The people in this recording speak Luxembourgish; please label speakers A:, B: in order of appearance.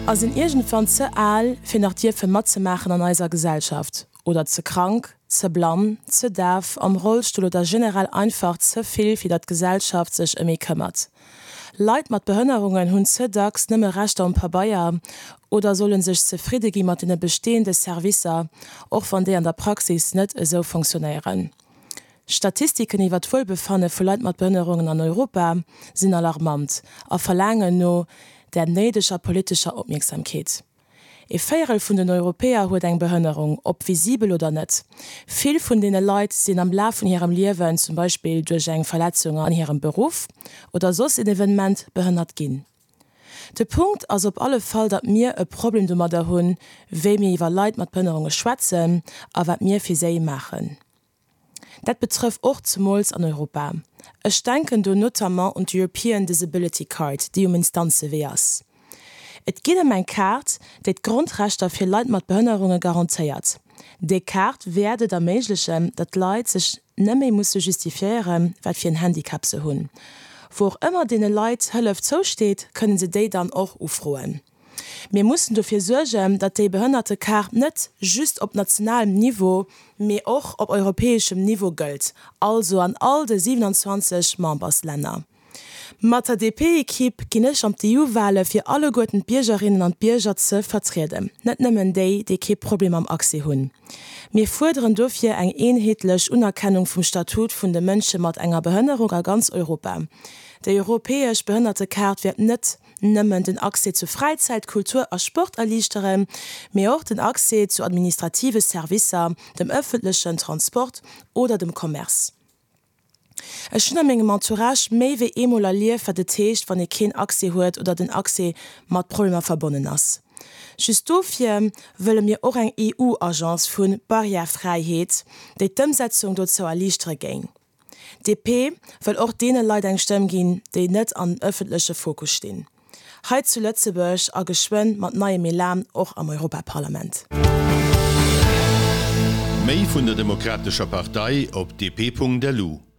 A: A sinn iergendwann ze al, fir nach dierfe matzemaachen an eiser Gesellschaft, oder ze krank, ze blann, ze daf, am Rollstull oder generell einfach ze vill, fir datt d'Gesellschaft sech ëm ee këmmert. Leit mat Behënnerungen hunn ze dacks nëmme Rechter um Pabeier oder solle sech zefridde gi mat deene bestehende Servicer, och wann déi an der Praxis net esou fonctionnéieren. Statistiken iwwer d'Wuelbefanne vu Leit mat Behënnerungen an Europa sinn alarmant a verlaangen no där néideger politescher Opmierksamkeet. Ee Véierel vun den Europäer huet eng Behënnerung, ob visibel oder net. Vill vun deene Leit sinn am Laf vun hirem Liewen, zum Beispill duerch eng Verletzung an hirem Beruff oder soss een Evenement, behënnert ginn. De Punkt ass op alle Fall, datt mir e Problem domadder hunn, wéi mir iwwer Leit mat Behënnerunge schwätzen a wat mir fir séi maachen. Dat betrëff och zemools an Europa. Ech denken do notamment un d'European Disability Card, déi um Instanzewee ass. Et geet ëm eng Kaart, déi d'Grondrechter fir Leit mat Behënnerunge garantéiert. Déi Kaart wäert et erméiglechen, datt d'Leit sech neméi musse justifiéieren, wat fir en Handicap se hunn. Wou och ëmmer deene Leit Hëllef zousteet, kënne se déi dann och ufroen. Mir mussen dofir suergen, datt déi Behënnertekaart net just op nationalem Niveau, mee och op europäeschem Niveau gëllt, also an all de 27 Memberslänner. Mat der DP-Equipe ginn ech an d'EU-Wale fir alleguerten d'Biergerinnen an d'Bierger ze vertrieden, net nëmmen déi, déi kee Problem mam Accès hunn. Mir fuerderen dofir eng eenheetlech Unerkennung vum Statut vun de Mënsche mat enger Behënnerung a ganz Europa. Déi europäesch Behënnertekaart wäert net nëmmen den Accès zu Fräizäit, Kultur a Sport erliichteren, mee och den Accès zu administrative Servicer, dem ëffentlechen Transport oder dem Commerce. Ech hunn a mengem Entourage méi wéi eemol erlieft, wat et heescht, wann ee keen Accès huet oder den Accès mat Problemer verbonnen ass. Just dofir wëlle mir och eng EU-Agence vu Barrièrefräiheet, déi d'Ëmsetzung dozou erliichtere géing. DP wëll och deene Leit eng Stëmm ginn, déi net am ëffentleche Fokus stinn. Hei zu Lëtzebuerg a geschwënn mat neiem Elan och am Europaparlament.
B: Méi vun der Demokratescher Partei op dp.lu.